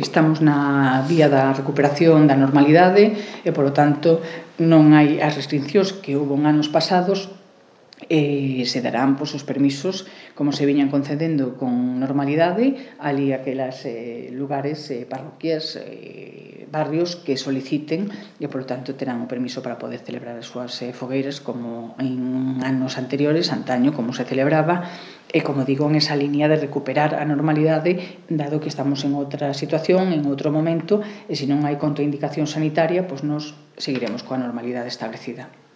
estamos na vía da recuperación da normalidade e, polo tanto, non hai as restriccións que houve en anos pasados e se darán os permisos como se viñan concedendo con normalidade ali aquelas lugares, parroquias, barrios que soliciten e, por tanto, terán o permiso para poder celebrar as súas fogueiras como en anos anteriores, antaño, como se celebraba, e, como digo, en esa liña de recuperar a normalidade, dado que estamos en outra situación, en outro momento, e se non hai contraindicación sanitaria, pois nos seguiremos coa normalidade establecida.